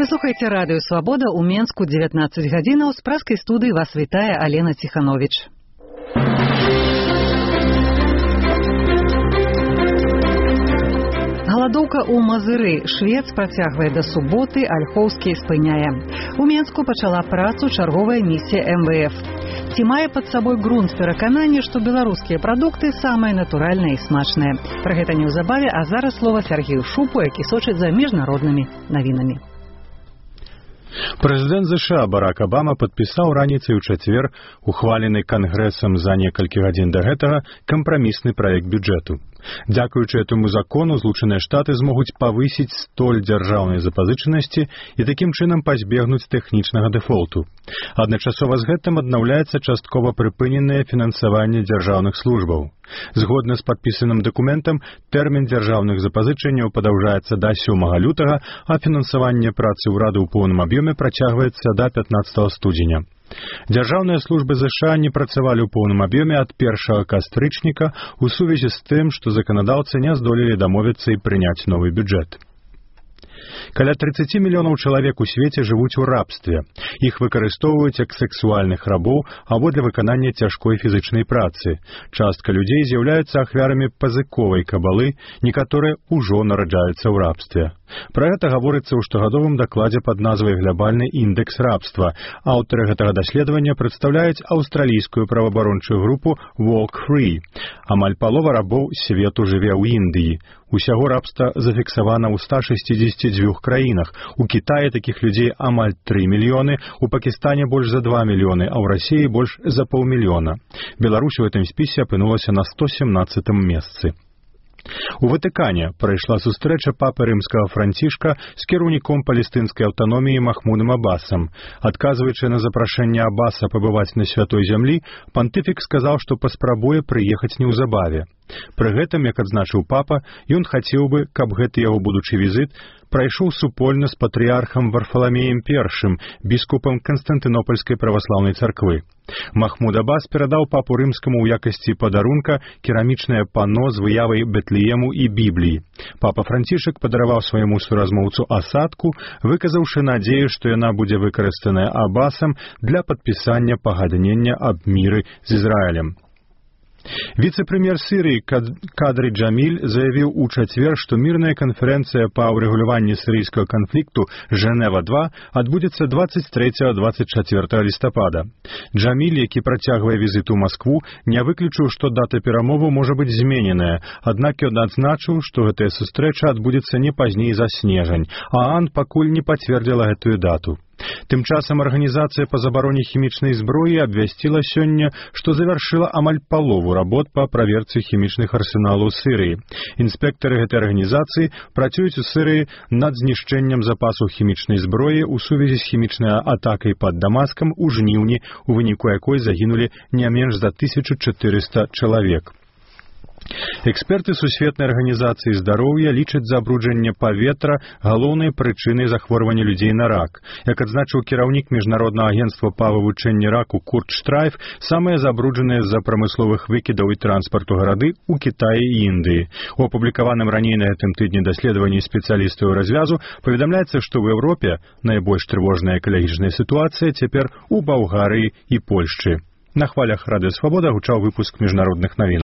Вы слухаеце радыё «Свабода» ў Менску 19 гадзінаў. З праскай студыі вас вітае Алена Ціхановіч. Галадоўка ў Мазыры. Швец працягвае да суботы, Альхоўскі спыняе. У Менску пачала працу чарговая місія МВФ. Ці мае пад сабой грунт пераканання, што беларускія прадукты самыя натуральныя і смачныя. Пра гэта неўзабаве, а зараз слова Сергею Шупу, які сочыць за міжнароднымі навінамі. Прэзідэнт ЗША Барак Абама падпісаў раніцай у чацвер, ухвалены Кангрэсам за некалькі гадзін да гэтага, кампрамісны праект бюджэту. Дзякуючы этому закону Злучаныя Штаты змогуць павысіць столь дзяржаўнай запазычанасці і такім чынам пазбегнуць тэхнічнага дэфолту. Адначасова з гэтым аднаўляецца часткова прыпыненае фінансаванне дзяржаўных службаў. Згодна з падпісаным дакументам, тэрмін дзяржаўных запазычанняў падаўжаецца да 7 лютага, а фінансаванне працы ўрада ў поўным аб'ёме працягваецца да 15 студзеня. Дзяржаўныя службы ЗША не працавалі ў поўным аб'ёме ад 1 кастрычніка ў сувязі з тым, што заканадаўцы не здолелі дамовіцца і прыняць новы бюджэт. Каля 30 мільёнаў чалавек у свеце жывуць у рабстве. Іх выкарыстоўваюць як сексуальных рабоў або для выканання цяжкой фізычнай працы. Частка людзей з'яўляюцца ахвярамі пазыковай кабалы, некаторыя ўжо нараджаюцца ў рабстве. Пра гэта гаворыцца ў штогадовым дакладзе пад назвай «Глобальны індэкс рабства». Аўтары гэтага даследавання прадстаўляюць аўстралійскую праваабарончую групу Walk Free. Амаль палова рабоў свету жыве ў Індыі. Усяго рабства зафіксавана ў 162 краінах. У Кітаі такіх людзей амаль 3 мільёны, у Пакістане больш за 2 мільёны, а ў Расіі больш за паўмільёна. Беларусь у гэтым спісе апынулася на 117 месцы. У Ватыкане прайшла сустрэча папы рымскага Францішка з кіраўніком палестынскай аўтаноміі Махмудам Аббасам. Адказваючы на запрашэнне Аббаса пабываць на святой зямлі, пантыфік сказаў, што паспрабуе прыехаць неўзабаве. Пры гэтым, як адзначыў папа, ён хацеў бы, каб гэты яго будучы візіт прайшоў супольна з патрыархам Варфаламеем I, біскупам Канстантынопольскай праваслаўнай царквы. Махмуд Аббас перадаў папу рымскаму ў якасці падарунка керамічнае пано з выявай Бэтлеему і Бібліі. Папа Францішак падараваў свайму суразмоўцу асадку, выказаўшы надзею, што яна будзе выкарыстаная Аббасам для падпісання пагаднення аб міры з Ізраілем. Віцэ-прэм'ер Сірыі Кадры Джаміль заявіў у чацвер, што мірная канферэнцыя па ўрэгуляванні сірыйскага канфлікту «Жэнева-2» адбудзецца 23-24 лістапада. Джаміль, які працягвае візіт у Маскву, не выключыў, што дата перамоваў можа быць змененая, аднак ён адзначыў, што гэтая сустрэча адбудзецца не пазней за снежань, а ААН пакуль не пацвердзіла гэтую дату. Тым часам арганізацыя па забароне хімічнай зброі абвясціла сёння, што завяршыла амаль палову работ па праверцы хімічных арсеналаў Сірыі. Інспектары гэтай арганізацыі працуюць у Сірыі над знішчэннем запасаў хімічнай зброі ў сувязі з хімічнай атакай пад Дамаскам у жніўні, у выніку якой загінулі не менш за 1400 чалавек. Эксперты Сусветнай арганізацыі здароўя лічаць забруджанне паветра галоўнай прычынай захворвання людзей на рак. Як адзначыў кіраўнік міжнароднага агенцтва па вывучэнні раку Курт Штрайф, самыя забруджаныя з-за прамысловых выкідаў і транспарту гарады ў Кітаі і Індыі. У апублікаваным раней на гэтым тыдні даследаванні спецыялістаў развязу паведамляецца, што ў Еўропе найбольш трывожная экалагічная сітуацыя цяпер у Балгарыі і Польшчы. На хвалях радыё «Свабода» гучаў выпуск міжнародных навін.